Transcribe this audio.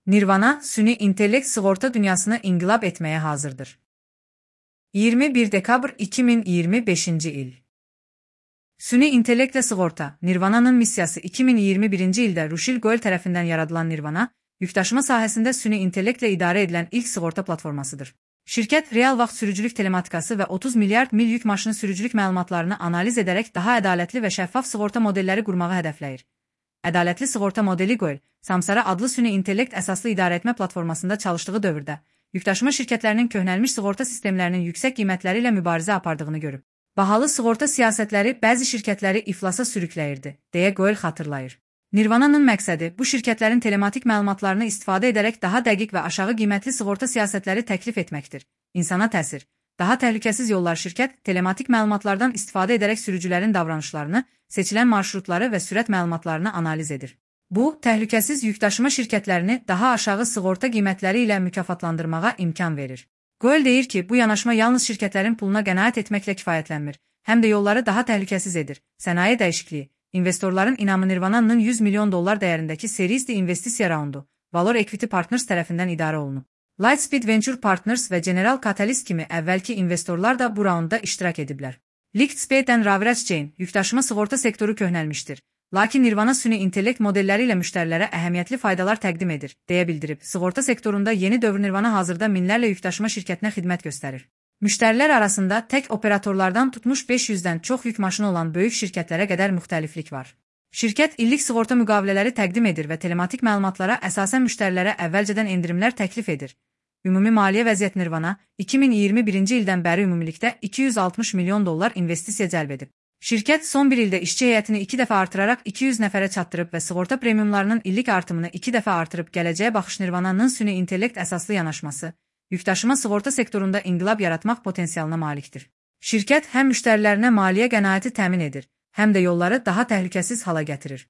Nirvana, süni intellekt sığorta dünyasını inqilab etməyə hazırdır. 21 dekabr 2025-ci il. Süni intellektlə sığorta, Nirvana'nın missiyası 2021-ci ildə Rushil Goel tərəfindən yaradılan Nirvana, yükdaşıma sahəsində süni intellektlə idarə edilən ilk sığorta platformasıdır. Şirkət, real vaxt sürücülük telematikası və 30 milyard mil yük maşını sürücülük məlumatlarını analiz edərək daha ədalətli və şəffaf sığorta modelləri qurmağı hədəfləyir. Ədalətli sığorta modeli Goel, Samsara adlı süni intellekt əsaslı idarəetmə platformasında çalışdığı dövrdə, yükdaşıma şirkətlərinin köhnəlmiş sığorta sistemlərinin yüksək qiymətləri ilə mübarizə apardığını görüb. Bahalı sığorta siyasətləri bəzi şirkətləri iflasa sürükləyirdi, deyə Goel xatırlayır. Nirvana'nın məqsədi bu şirkətlərin telematik məlumatlarını istifadə edərək daha dəqiq və aşağı qiymətli sığorta siyasətləri təklif etməkdir. İnsana təsir. Daha təhlükəsiz yollar şirkət, telematik məlumatlardan istifadə edərək sürücülərin davranışlarını, seçilən marşrutları və sürət məlumatlarını analiz edir. Bu, təhlükəsiz yükdaşıma şirkətlərini daha aşağı sığorta qiymətləri ilə mükafatlandırmağa imkan verir. Goel deyir ki, bu yanaşma yalnız şirkətlərin puluna qənaət etməklə kifayətlənmir, həm də yolları daha təhlükəsiz edir. Sənaye dəyişikliyi, investorların inamı Nirvana'nın 100 milyon dollar dəyərindəki Series D investisiya raundu, Valor Equity Partners tərəfindən idarə olunub. Lightspeed Venture Partners və General Catalyst kimi əvvəlki investorlar da bu raundda iştirak ediblər. Lightspeed Ravraj Jain, yükdaşıma sığorta sektoru köhnəlmişdir. Lakin Nirvana süni intellekt modelləri ilə müştərilərə əhəmiyyətli faydalar təqdim edir, deyə bildirib. Sığorta sektorunda yeni dövr Nirvana hazırda minlərlə yükdaşıma şirkətinə xidmət göstərir. Müştərilər arasında tək operatorlardan tutmuş 500-dən çox yük maşını olan böyük şirkətlərə qədər müxtəliflik var. Şirkət illik sığorta müqavilələri təqdim edir və telematik məlumatlara əsasən müştərilərə əvvəlcədən endirimlər təklif edir. Ümumi maliyyə vəziyyət Nirvana 2021-ci ildən bəri ümumilikdə 260 milyon dollar investisiya cəlb edib. Şirkət son bir ildə işçi heyətini 2 dəfə artıraraq 200 nəfərə çatdırıb və sığorta premiumlarının illik artımını 2 dəfə artırıb gələcəyə baxış Nirvana'nın süni intellekt əsaslı yanaşması, yükdaşıma sığorta sektorunda inqilab yaratmaq potensialına malikdir. Şirkət həm müştərilərinə maliyyə qənaəti təmin edir, həm də yolları daha təhlükəsiz hala gətirir.